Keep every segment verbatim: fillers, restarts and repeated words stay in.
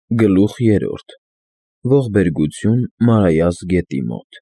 Գլուխ երրորդ. Ողբերգություն Մարայաս գետի մոտ։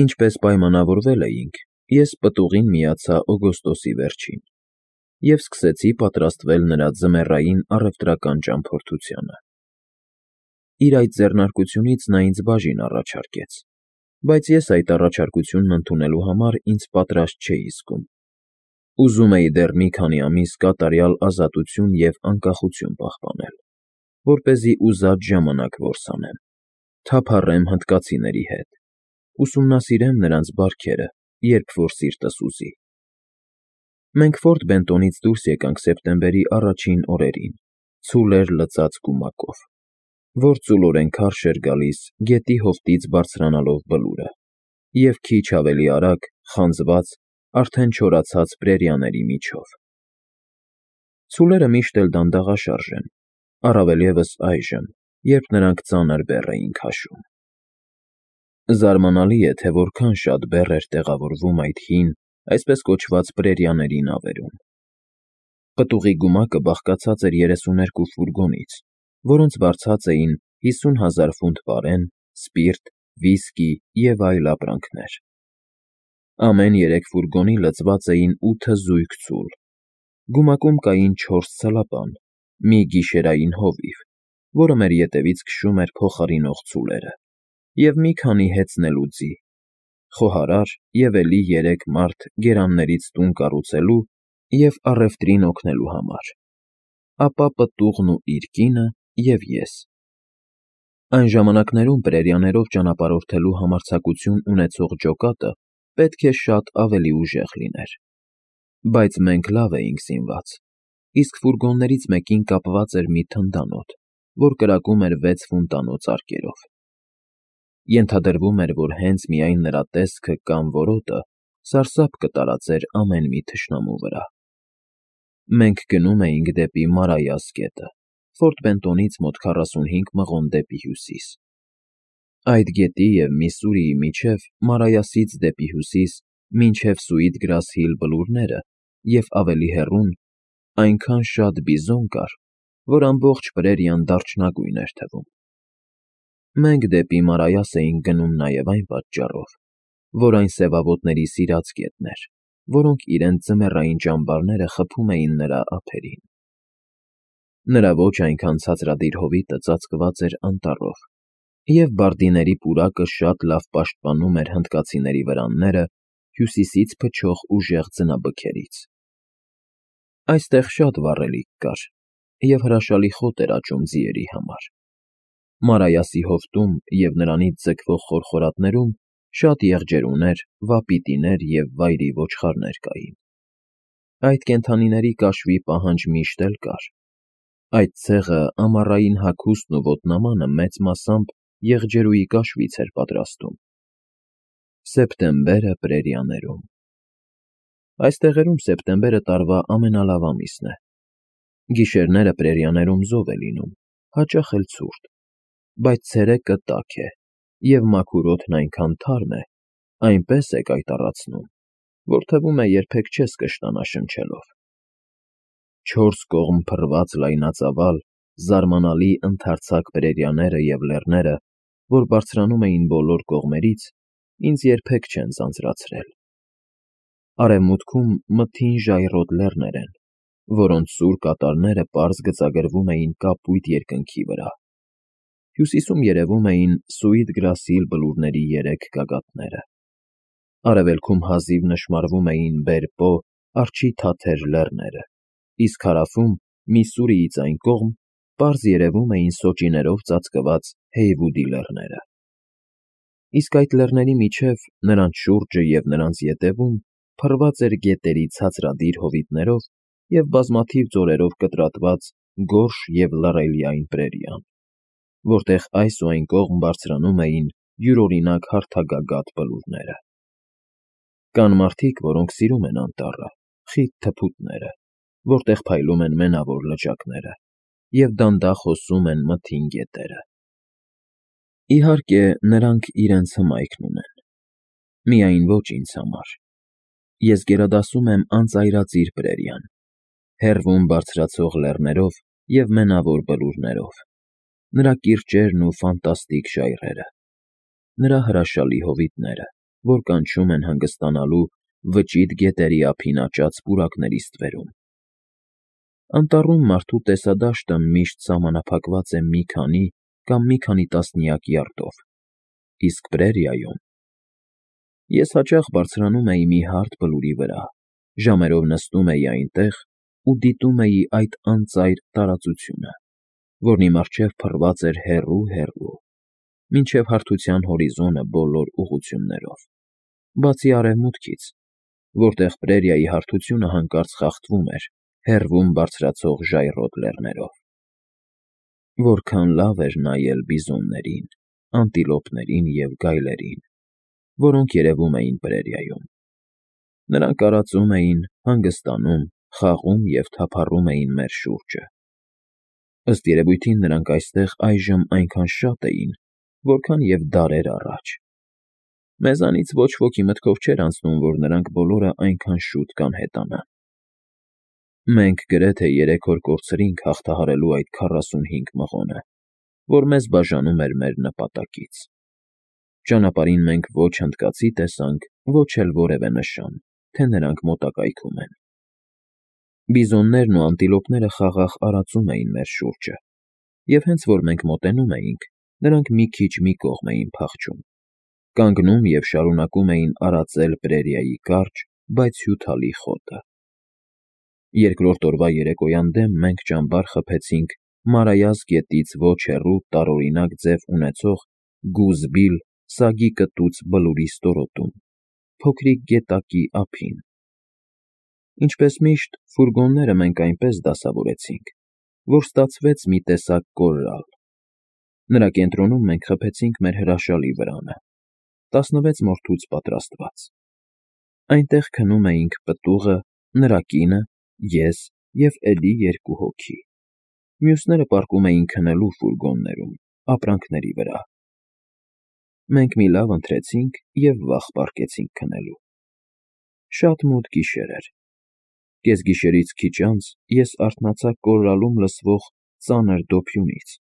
Ինչպես պայմանավորվել էինք, ես պտուղին միացա օգոստոսի վերջին և սկսեցի պատրաստվել նրա ձմեռային առևտրական ճամփորդությանը։ Իր այդ ձեռնարկությունից նա ինձ բաժին առաջարկեց, բայց ես այդ առաջարկությունն ընդունելու համար ինձ պատրաստ չէի զգում։ Ուզում էի դեռ մի քանի ամիս կատարյալ ազատություն և անկախություն պահպանել, որպեսզի ուզած ժամանակ որսանեմ, թափառեմ հնդկացիների հետ, ուսումնասիրեմ նրանց բարքերը, երբ որ սիրտս ուզի։ Մենք Ֆորտ Բենտոնից դուրս եկանք սեպտեմբերի առաջին օրերին, ցուլ էր լցած գումակով, որ ծուլորեն քարշ էր գալիս գետի հովտից բարձրանալով բլուրը, և քիչ ավելի արագ, խանձված, արդեն չորացած պրերիաների միջով։ Ցուլերը միշտ էլ դանդաղաշարժ են, առավել ևս այժմ, երբ նրանք ծանր բեռ էին քաշում։ Զարմանալի է, թե որքան շատ բեռ էր տեղավորվում այդ հին, այսպես կոչված պրերիաների նավերում։ Պտուղի գումակը բաղկացած էր երեսուներկու ֆուրգոնից, որոնց վարձած էին հիսուն հազար ֆունտ պարեն, սպիրտ, վիսկի և այլ ապրանքներ։ Ամեն երեք ֆուրգոնի լցված էին ութը զույգ ցուլ։ Գումակում կային չորս ցլապան, մի գիշերային հովիվ, որը մեր ետևից քշում էր փոխարինող ցուլերը, և մի քանի հեծնելու ձի, խոհարար և էլի երեք մարդ գերաններից տուն կառուցելու և առևտրին օգնելու համար, ապա պտուղն ու իր կինը և ես։ Այն ժամանակներում պրերիաներով ճանապարհորդելու համարձակություն ունեցող ջոկատը պետք է շատ ավելի ուժեղ լիներ, բայց մենք լավ էինք զինված, իսկ ֆուրգոններից մեկին կապված էր մի թնդանոթ, որ կրակում էր վեց ֆունտանոց արկերով։ Ենթադրվում էր, որ հենց միայն նրա տեսքը կամ որոտը սարսափ կտարածեր ամեն մի թշնամու վրա։ Մենք գնում էինք դեպի Մարայաս գետը, Ֆորտ Բենտոնից մոտ քառասունհինգ մղոն դեպի հյուսիս։ Այդ գետի և Միսսուրիի միջև Մարայասից դեպի հյուսիս մինչև Սուիտ Գրաս Հիլ բլուրները և ավելի հեռուն այնքան շատ բիզոն կար, որ ամբողջ պրերիան դարչնագույն էր թվում։ Մենք դեպի Մարայաս էինք գնում նաև այն պատճառով, որ այն սևավոտների սիրած գետն էր, որոնք իրենց ձմեռային ճամբարները խփում էին նրա ափերին։ Նրա ոչ այնքան ցածրադիր հովիտը ծածկված էր անտառով, և բարդիների պուրակը շատ լավ պաշտպանում էր հնդկացիների վրանները հյուսիսից փչող ուժեղ ձնաբքերից։ Այստեղ շատ վառելիք կար, և հրաշալի խոտ էր աճում ձիերի համար։ Մարայասի հովտում և նրանից ձգվող խորխորատներում շատ եղջերուներ, վապիտիներ և վայրի ոչխարներ կային։ Այդ կենդանիների կաշվի պահանջ միշտ էլ կար։ Այդ ցեղը ամառային հագուստն ու ոտնամանը մեծ մասամբ եղջերուի կաշվից էր պատրաստում։ Սեպտեմբերը պրերիաներում։ Այս տեղերում սեպտեմբերը տարվա ամենալավ ամիսն է։ Գիշերները պրերիաներում զով է լինում, հաճախ էլ ցուրտ, բայց ցերեկը տաք է, և մաքուր օդն այնքան թարմ է, այնպես է կայտառացնում, որ թվում է երբեք չես կշտանա շնչելով։ Չորս կողմ փռված լայնածավալ, զարմանալի ընդարձակ պրերիաները և լեռները, որ բարձրանում էին բոլոր կողմերից, ինձ երբեք չեն ձանձրացրել։ Արևմուտքում մթին ժայռոտ լեռներ են, որոնց սուր կատարները պարզ գծագրվում էին կապույտ երկնքի վրա։ Հյուսիսում երևում էին Սուիտ Գրաս Հիլ բլուրների երեք գագաթները։ Արևելքում հազիվ նշմարվում էին Բեր Պո արջի թաթեր լեռները, իսկ հարավում, Միսսուրիից այն կողմ, պարզ երևում էին սոճիներով ծածկված Հեյվուդի լեռները։ Իսկ այդ լեռների միջև, նրանց շուրջը և նրանց ետևում փռված էր գետերի ցածրադիր հովիտներով և բազմաթիվ ձորերով կտրատված գորշ և լռելիայն պրերիան, որտեղ այս ու այն կողմ բարձրանում էին յուրօրինակ հարթագագաթ բլուրները։ Կան մարդիկ, որոնք սիրում են անտառը, խիտ թփուտները, որտեղ փայլում են մենավոր լճակները և դանդաղ հոսում են մթին գետերը։ Իհարկե, նրանք իրենց հմայքն ունեն, միայն ոչ ինձ համար։ Ես գերադասում եմ անծայրածիր պրերիան, հեռվում բարձրացող լեռներով և մենավոր բլուրներով, նրա կիրճերն ու ֆանտաստիկ ժայռերը, նրա հրաշալի հովիտները, որ կանչում են հանգստանալու վճիտ գետերի ափին աճած պուրակների ստվերում։ Անտառում մարդու տեսադաշտը միշտ սահմանափակված է մի քանի կամ մի քանի տասնյակ յարդով, իսկ պրերիայում… Ես հաճախ բարձրանում էի մի հարթ բլուրի վրա, ժամերով նստում էի այնտեղ ու դիտում էի այդ անծայր տարածությունը, որն իմ առջև փռված էր հեռու֊հեռու, մինչև հարթության հորիզոնը բոլոր ուղղություններով, բացի արևմուտքից, որտեղ պրերիայի հարթությունը հանկարծ խախտվում էր հեռվում բարձրացող ժայռոտ լեռներով։ Որքան լավ էր նայել բիզոններին, անտիլոպներին և գայլերին, որոնք երևում էին պրերիայում։ Նրանք արածում էին, հանգստանում, խաղում և թափառում էին մեր շուրջը։ Ըստ երևույթին նրանք այստեղ այժմ այնքան շատ էին, որքան և դարեր առաջ։ Մեզանից ոչ ոքի մտքով չէր անցնում, որ նրանք բոլորը այնքան շուտ կանհետանան։ Մենք գրեթե երեք օր կորցրինք հաղթահարելու այդ քառասունհինգ մղոնը, որ մեզ բաժանում էր մեր նպատակից։ Ճանապարհին մենք ոչ հնդկացի տեսանք, ոչ էլ որևէ նշան, թե նրանք մոտակայքում են։ Բիզոններն ու անտիլոպները խաղաղ արածում էին մեր շուրջը, և հենց որ մենք մոտենում էինք, նրանք մի քիչ մի կողմ էին փախչում, կանգնում և շարունակում էին արածել պրերիայի կարճ, բայց հյութալի խոտը։ Երկրորդ օրվա երեկոյան դեմ մենք ճամբար խփեցինք Մարայას գետից ոչ հեռու տարօրինակ ձև ունեցող Գուզբիլ սագի կտուց բլուրի ստորոտում, փոքրիկ գետակի ափին։ Ինչպես միշտ, ֆուրգոնները մենք այնպես դասավորեցինք, որ ստացվեց մի տեսակ կորրալ։ Նրա կենտրոնում մենք խփեցինք մեր հրաշալի վրանը, տասնվեց մորթուց պատրաստված։ Այնտեղ քնում էինք պտուղը, նրա կինը, ես և էլի երկու հոգի։ Մյուսները պառկում էին քնելու ֆուրգոններում, ապրանքների վրա։ Մենք մի լավ ընթրեցինք և վաղ պառկեցինք քնելու։ Շատ մութ գիշեր էր։ Կեսգիշերից քիչ անց ես արթնացա կորրալում լսվող ծանր դոփյունից։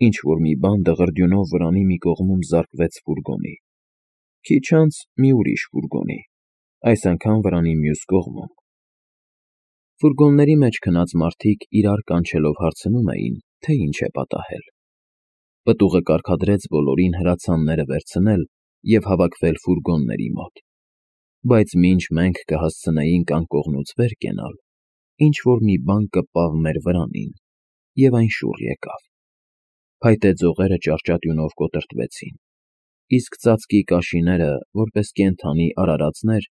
Ինչ֊որ մի բան դղրդյունով վրանի մի կողմում զարկվեց ֆուրգոնի, քիչ անց մի ուրիշ ֆուրգոնի, այս անգամ վրանի մյուս կողմում։ Ֆուրգոնների մեջ քնած մարդիկ իրար կանչելով հարցնում էին, թե ինչ է պատահել։ Պտուղը կարգադրեց բոլորին հրացանները վերցնել և հավաքվել ֆուրգոնների մոտ, բայց մինչ մենք կհասցնեինք անկողնուց վեր կենալ, ինչ֊որ մի բան կպավ մեր վրանին, և այն շուռ եկավ։ Փայտե ձողերը ճարճատյունով կոտրտվեցին, իսկ ծածկի կաշիները, որպես կենդանի արարածներ,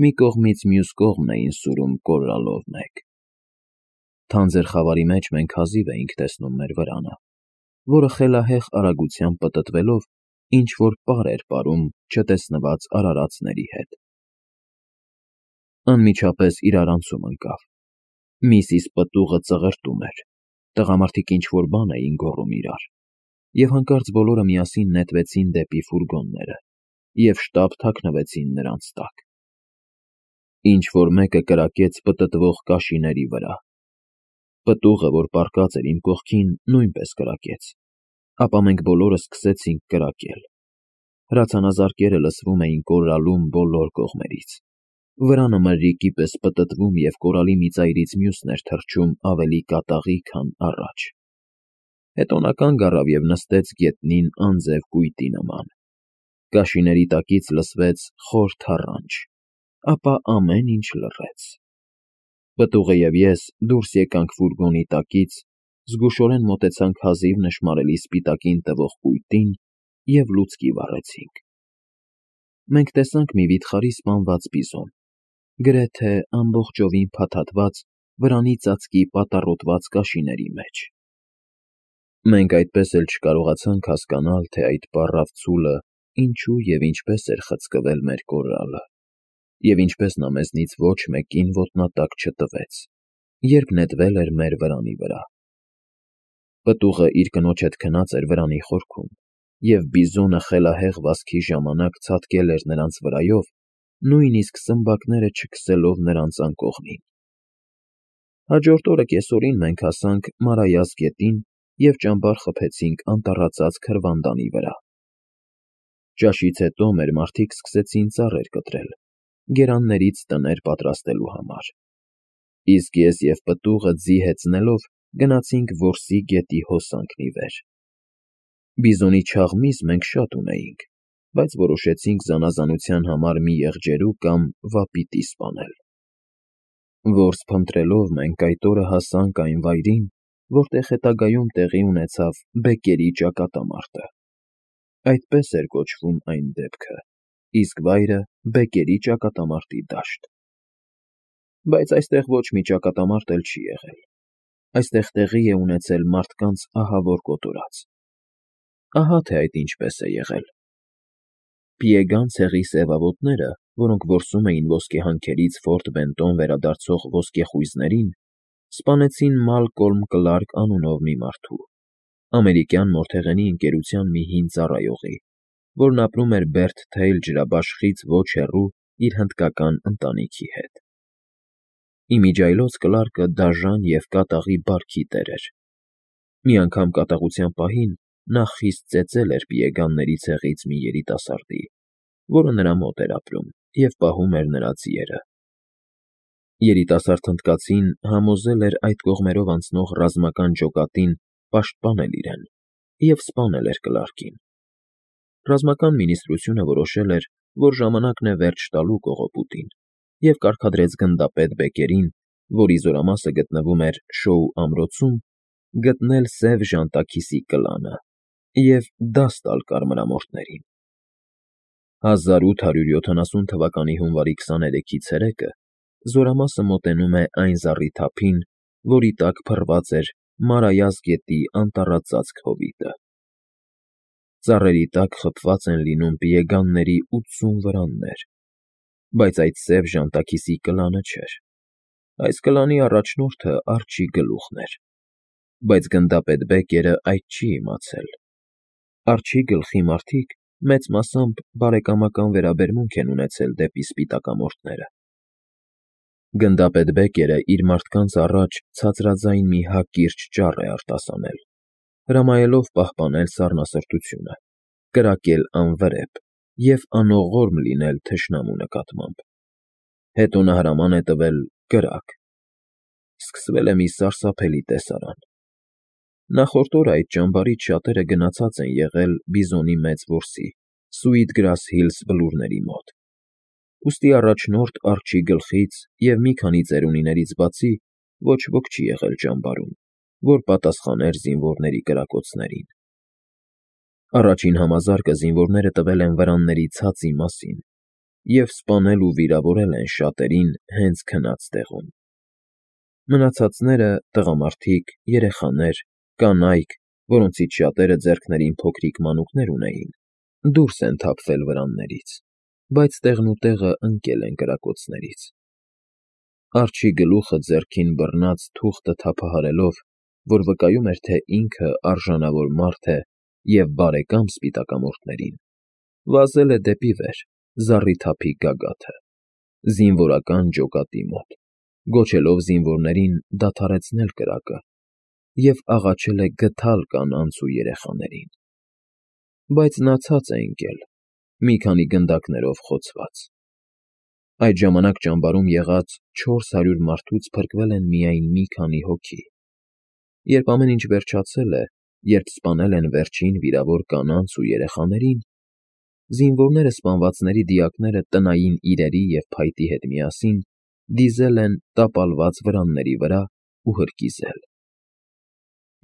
մի կողմից մյուս կողմն էին սուրում կորրալով մեկ։ Թանձր խավարի մեջ մենք հազիվ էինք տեսնում մեր վրանը, որը խելահեղ արագությամբ պտտվելով ինչ֊որ պար էր պարում չտեսնված արարածների հետ։ Անմիջապես իրարանցում ընկավ։ Միսիս պտուղը ծղրտում էր, տղամարդիկ ինչ֊որ բան էին գոռում իրար, և հանկարծ բոլորը միասին նետվեցին դեպի ֆուրգոնները և շտապ թաքնվեցին նրանց տակ։ Ինչ֊որ մեկը կրակեց պտտվող կաշիների վրա։ Պտուղը, որ պառկած էր իմ կողքին, նույնպես կրակեց, ապա մենք բոլորը սկսեցինք կրակել։ Հրացանազարկերը լսվում էին կորրալում բոլոր կողմերից։ Վրանը մրրիկի պես պտտվում և կորալի մի ծայրից մյուսն էր թռչում ավելի կատաղի, քան առաջ։ Հետո նա կանգ առավ և նստեց գետնին անձև կույտի նման։ Կաշիների տակից լսվեց խոր թառանչ, ապա ամեն ինչ լռեց։ Պտուղը և ես դուրս եկանք ֆուրգոնի տակից, զգուշորեն մոտեցանք հազիվ նշմարելի սպիտակին տվող կույտին և լուցկի վառեցինք։ Մենք տեսանք մի վիթխարի սպանված բիզոն, գրեթե ամբողջովին փաթաթված վրանի ծածկի պատառոտված կաշիների մեջ։ Մենք այդպես էլ չկարողացանք հասկանալ, թե այդ պառավ ցուլը ինչու և ինչպես էր խցկվել մեր կորրալը, և ինչպես նա մեզնից ոչ մեկին ոտնատակ չտվեց, երբ նետվել էր մեր վրանի վրա։ Պտուղը իր կնոջ հետ քնած էր վրանի խորքում, և բիզոնը խելահեղ վազքի ժամանակ ցատկել էր նրանց վրայով, նույնիսկ սմբակները չքսելով նրանց անկողնին։ Հաջորդ օրը կեսօրին մենք հասանք Մարայას գետին և ճամբար խփեցինք անտառածած քրվանդանի վրա։ Ճաշից հետո մեր մարդիկ սկսեցին ծառեր կտրել, գերաններից տներ պատրաստելու համար, իսկ ես և պտուղը ձի հեծնելով գնացինք որսի գետի հոսանքն ի վեր։ Բիզոնի չաղ միս մենք շատ ունեինք, բայց որոշեցինք զանազանության համար մի եղջերու կամ վապիտի սպանել։ Որս փնտրելով մենք այդ օրը հասանք այն վայրին, որտեղ հետագայում տեղի ունեցավ Բեկկերի ճակատամարտը։ Այդպես էր կոչվում այն դեպքը, իսկ վայրը Բեկկերի ճակատամարտի դաշտ։ Բայց այստեղ ոչ մի ճակատամարտ էլ չի եղել, այստեղ տեղի է ունեցել մարդկանց ահավոր կոտորած։ Ահա թե այդ ինչպես է եղել։ Պիեգան ցեղի սևավոտները, որոնք որսում էին ոսկեհանքերից Ֆորտ Բենտոն վերադարձող ոսկեխույզներին, սպանեցին Մալկոլմ Կլարկ անունով մի մարդու, ամերիկյան մորթեղենի ընկերության մի հին ծառայողի, որն ապրում էր Բերթ Թեյլ ջրաբաշխից ոչ հեռու իր հնդկական ընտանիքի հետ։ Իմիջիայլոց Կլարկը դաժան և կատաղի բարքի տեր էր։ Մի անգամ կատաղության պահին նա խիստ ծեծել էր պիեգանների ցեղից մի երիտասարդի, որը նրա մոտ էր ապրում և պահում էր նրա ձիերը։ Երիտասարդ հնդկացին համոզել էր այդ կողմերով անցնող ռազմական ջոկատին պաշտպանել իրեն և սպանել էր Կլարկին։ Ռազմական մինիստրությունը որոշել էր, որ ժամանակն է վերջ տալու կողոպուտին, և կարգադրեց գնդապետ Բեկկերին, որի զորամասը գտնվում էր Շոու ամրոցում, գտնել Սև Ժանտաքիսի կլանը և դաս տալ կարմրամորթներին։ հազար ութ հարյուր յոթանասուն թվականի հունվարի քսաներեքի ցերեկը զորամասը մոտենում է այն զառիթափին, որի տակ փռված էր Մարայას գետի անտառածածկ հովիտը։ Ծառերի տակ խփված են լինում պիեգանների ութսուն վրաններ, բայց այդ Սև Ժանտաքիսի կլանը չէր։ Այս կլանի առաջնորդը Արջի գլուխն էր, բայց գնդապետ Բեկկերը այդ չի իմացել։ Արջի գլխի մարդիկ մեծ մասամբ բարեկամական վերաբերմունք են ունեցել դեպի սպիտակամորթները։ Գնդապետ Բեկկերը իր մարդկանց առաջ ցածրաձայն մի հակիրճ ճառ է արտասանել, հրամայելով պահպանել սառնասրտությունը, կրակել անվրեպ և անողորմ լինել թշնամու նկատմամբ։ Հետո նա հրաման է տվել կրակ։ Սկսվել է մի սարսափելի տեսարան։ Նախորդ օրը այդ ճամբարից շատերը գնացած են եղել Բիզոնի մեծ որսի՝ Սուիթգրաս Հիլս բլուրների մոտ։ Ուստի առաջնորդ Արջի գլխից և մի քանի ծերունիներից բացի ոչ ոք չի եղել ճամբարում, որ պատասխաներ զինվորների կրակոցներին։ Առաջին համազարկը զինվորները տվել են վրանների ցածի մասին և սպանել ու վիրավորել են շատերին հենց քնած տեղում։ Մնացածները՝ տղամարդիկ, երեխաներ, կանայք, որոնցից շատերը ձեռքներին փոքրիկ մանուկներ ունեին, դուրս են թափվել վրաններից, բայց տեղնուտեղը ընկել են կրակոցներից։ Արջի գլուխը ձեռքին բռնած թուղթը թափահարելով, որ վկայում էր, թե ինքը արժանավոր մարդ է և բարեկամ սպիտակամորթներին, վազել է դեպի վեր, զառիթափի գագաթը, զինվորական ջոկատի մոտ, գոչելով զինվորներին դադարեցնել կրակը և աղաչել է գթալ կանանց ու երեխաներին։ Բայց նա ցած է ընկել, մի քանի գնդակներով խոցված։ Այդ ժամանակ ճամբարում եղած չորս հարյուր մարդուց փրկվել են միայն մի քանի հոգի։ Երբ ամեն ինչ վերջացել է, երբ սպանել են վերջին վիրավոր կանանց ու երեխաներին, զինվորները սպանվածների դիակները տնային իրերի և փայտի հետ միասին դիզել են տապալված վրանների վրա ու հրկիզել։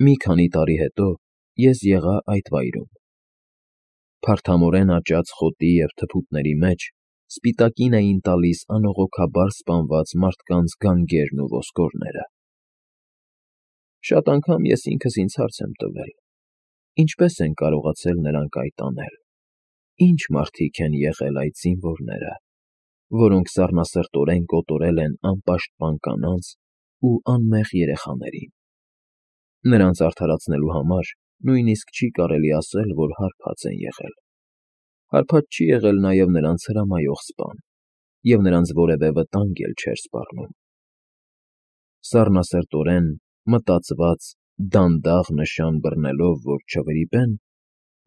Մի քանի տարի հետո ես եղա այդ վայրում։ Փարթամորեն աճած խոտի և թփուտների մեջ սպիտակին էին տալիս անողոքաբար սպանված մարդկանց գանգերն ու ոսկորները։ Շատ անգամ ես ինքս ինձ հարց եմ տվել. ինչպե՞ս են կարողացել նրանք այդ անել, ի՞նչ մարդիկ են եղել այդ զինվորները, որոնք սառնասրտորեն կոտորել են անպաշտպան կանանց ու անմեղ երեխաներին։ Նրանց արդարացնելու համար նույնիսկ չի կարելի ասել, որ հարբած են եղել։ Հարբած չի եղել նաև նրանց հրամայող սպան, և նրանց որևէ վտանգ էլ չէր սպառնում։ Սառնասրտորեն, մտածված Դանդաղ նշան բռնելով, որ չվրիպեն,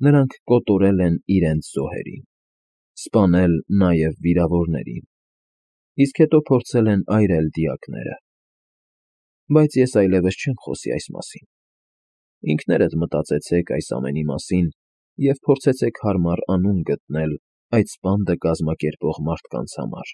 նրանք կոտորել են իրենց զոհերին, սպանել նաև վիրավորներին, իսկ հետո փորձել են այրել դիակները… Բայց ես այլևս չեմ խոսի այս մասին. ինքներդ մտածեցեք այս ամենի մասին և փորձեցեք հարմար անուն գտնել այդ սպանդը կազմակերպող մարդկանց համար։